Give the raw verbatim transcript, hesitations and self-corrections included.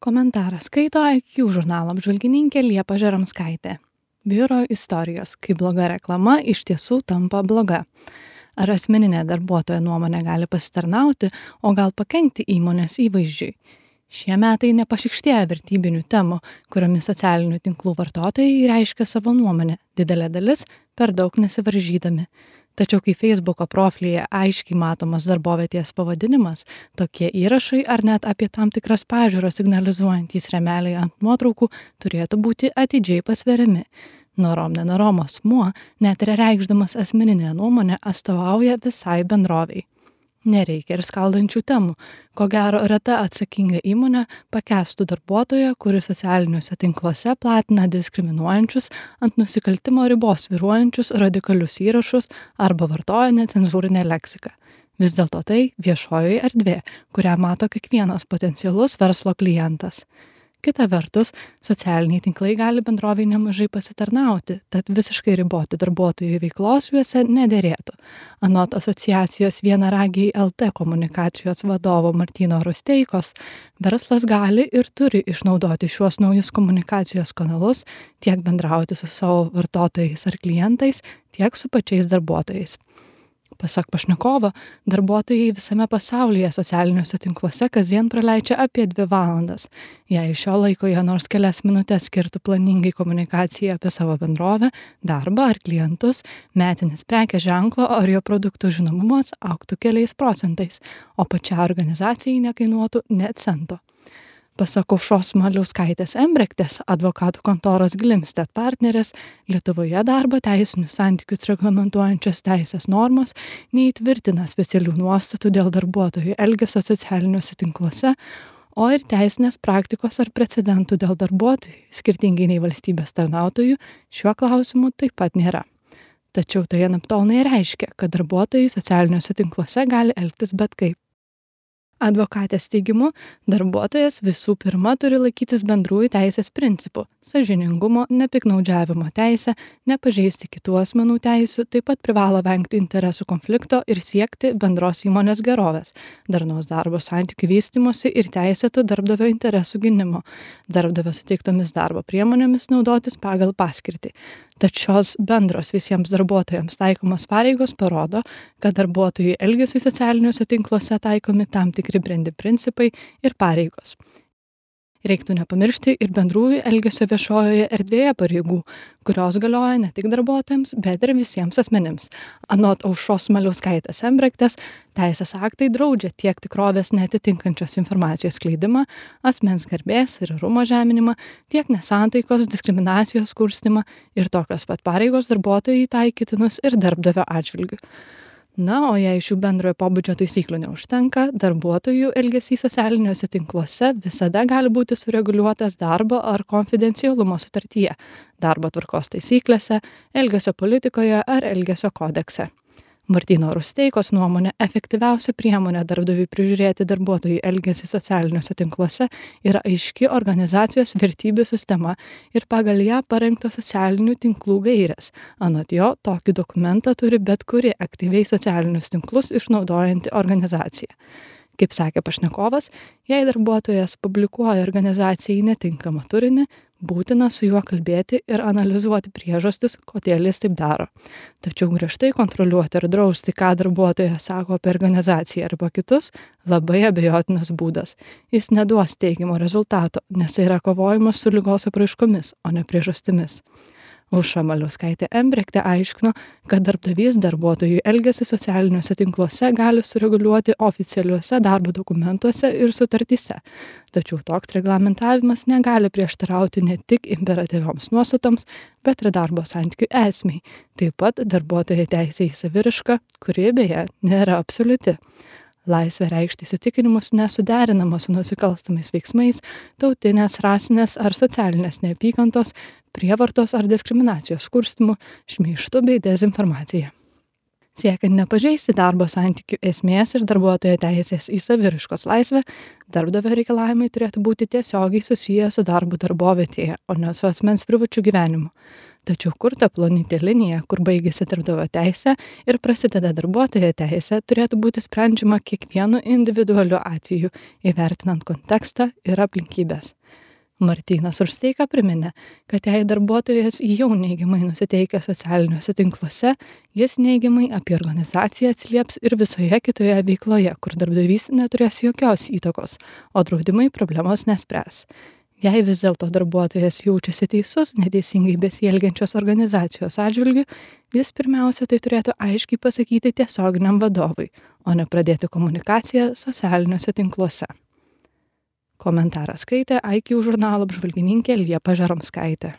Komentarą skaito I Q žurnalo apžvalgininkė Liepa Žeromskaitė. Biuro istorijos, kai bloga reklama iš tiesų tampa bloga. Ar asmeninė darbuotojo nuomonė gali pasitarnauti, o gal pakenkti įmonės įvaizdžiui? Šie metai nepašikštėja vertybinių temų, kuriomis socialinių tinklų vartotojai reiškia savo nuomonę, didelė dalis per daug nesivaržydami. Tačiau kai Facebooko profilyje aiškiai matomas darbovietės pavadinimas, tokie įrašai ar net apie tam tikras pažiūras signalizuojantys rėmeliai ant nuotraukų turėtų būti atidžiai pasveriami. Norom nenorom asmuo, net ir reikšdamas asmeninę nuomonę, atstovauja visai bendroviai. Nereikia ir skaldančių temų. Ko gero, reta atsakinga įmonė pakęstų darbuotoją, kuris socialiniuose tinkluose platina diskriminuojančius, ant nusikaltimo ribos svyruojančius radikalius įrašus arba vartoja necenzūrinę leksiką. Vis dėlto tai viešoji erdvė, kurią mato kiekvienas potencialus verslo klientas. Kita vertus, socialiniai tinklai gali bendroviai nemažai pasitarnauti, tad visiškai riboti darbuotojų veiklos juose nederėtų. Anot asociacijos Vienaragiai L T komunikacijos vadovo Martyno Rusteikos, verslas gali ir turi išnaudoti šiuos naujus komunikacijos kanalus tiek bendrauti su savo vartotojais ar klientais, tiek su pačiais darbuotojais. Pasak pašnekovo, darbuotojai visame pasaulyje socialiniuose tinkluose kasdien praleidžia apie dvi valandas. Jei šio laiko jie nors kelias minutės skirtų planingai komunikacijai apie savo bendrovę, darbą ar klientus, metinis prekės ženklo ar jo produktų žinomumas augtų keliais procentais, o pačiai organizacijai nekainuotų net cento. Pasak Aušros Maliauskaitės Embrechtės, advokatų kontoros Glimstedt partnerės, Lietuvoje darbo teisinius santykius reglamentuojančios teisės normos neįtvirtina specialių nuostatų dėl darbuotojų elgesio socialiniuose tinkluose, o ir teisinės praktikos ar precedentų dėl darbuotojų, skirtingai nei valstybės tarnautojų, šiuo klausimu taip pat nėra. Tačiau tai anaiptol nereiškia, kad darbuotojai socialiniuose tinkluose gali elgtis bet kaip. Advokatės teigimu, darbuotojas visų pirma turi laikytis bendrųjų teisės principų – sąžiningumo, nepiknaudžiavimo teisę, nepažeisti kitų asmenų teisių, taip pat privalo vengti interesų konflikto ir siekti bendros įmonės gerovės, darnaus darbo santykių vystymosi ir teisėtų darbdavio interesų gynimo, darbdavio suteiktomis darbo priemonėmis naudotis pagal paskirtį. Tad šios bendros visiems darbuotojams taikomos pareigos parodo, kad darbuotojų elgesiui socialiniuose tinkluose taikomi tam tikri brendi principai ir pareigos. Reiktų nepamiršti ir bendrųjų elgesio viešojoje erdvėje pareigų, kurios galioja ne tik darbuotojams, bet ir visiems asmenims. Anot Aušros Maliauskaitės Embrechtės, teisės aktai draudžia tiek tikrovės neatitinkančios informacijos skleidimą, asmens garbės ir orumo žeminimą, tiek nesantaikos, diskriminacijos kurstymą ir tokios pat pareigos darbuotojai taikytinus ir darbdavio atžvilgiu. Na, o jei šių bendrojo pobūdžio taisyklių neužtenka, darbuotojų elgesys socialiniuose tinkluose visada gali būti sureguliuotas darbo ar konfidencialumo sutartyje, darbo tvarkos taisyklėse, elgesio politikoje ar elgesio kodekse. Martyno Rusteikos nuomonė, efektyviausia priemonė darbdaviui prižiūrėti darbuotojų elgesį socialiniuose tinkluose yra aiški organizacijos vertybių sistema ir pagal ją parengtos socialinių tinklų gairės. Anot jo, tokį dokumentą turi bet kuri aktyviai socialinius tinklus išnaudojanti organizacija. Kaip sakė pašnekovas, jei darbuotojas publikuoja organizacijai netinkamą turinį, būtina su juo kalbėti ir analizuoti priežastis, kodėl jis taip daro. Tačiau griežtai kontroliuoti ir drausti, ką darbuotojas sako apie organizaciją arba kitus, labai abejotinas būdas. Jis neduos teigiamo rezultato, nes tai yra kovojimas su ligos apraiškomis, o ne priežastimis. Aušra Maliauskaitė Embrechtė aiškino, kad darbdavys darbuotojų elgesį socialiniuose tinkluose gali sureguliuoti oficialiuose darbo dokumentuose ir sutartyse. Tačiau toks reglamentavimas negali prieštarauti ne tik imperatyvioms nuostatoms, bet ir darbo santykių esmei. Taip pat darbuotojo teisė į saviraišką, kuri beje nėra absoliuti. Laisvė reikšti įsitikinimus nesuderinama su nusikalstamais veiksmais, tautinės, rasinės ar socialinės neapykantos, prievartos ar diskriminacijos kurstymu, šmeižtu bei dezinformacija. Siekiant nepažeisti darbo santykių esmės ir darbuotojo teisės į saviraiškos laisvę, darbdavio reikalavimai turėtų būti tiesiogiai susiję su darbu darbovietėje, o ne su asmens privačiu gyvenimu. Tačiau kur ta plonytė linija, kur baigėsi darbdavio teisė ir prasideda darbuotojo teisė, turėtų būti sprendžiama kiekvienu individualiu atveju, įvertinant kontekstą ir aplinkybės. Martynas Rusteika priminė, kad jei darbuotojas jau neigiamai nusiteikia socialiniuose tinkluose, jis neigiamai apie organizaciją atsilieps ir visoje kitoje veikloje, kur darbdavys neturės jokios įtakos, o draudimai problemos nespręs. Jei vis dėlto darbuotojas jaučiasi teisus neteisingai besielgiančios organizacijos atžvilgiu, jis pirmiausia tai turėtų aiškiai pasakyti tiesioginiam vadovui, o ne pradėti komunikaciją socialiniuose tinkluose. Komentarą skaitė I Q žurnalo apžvalgininkė Liepa Žaromskaitė.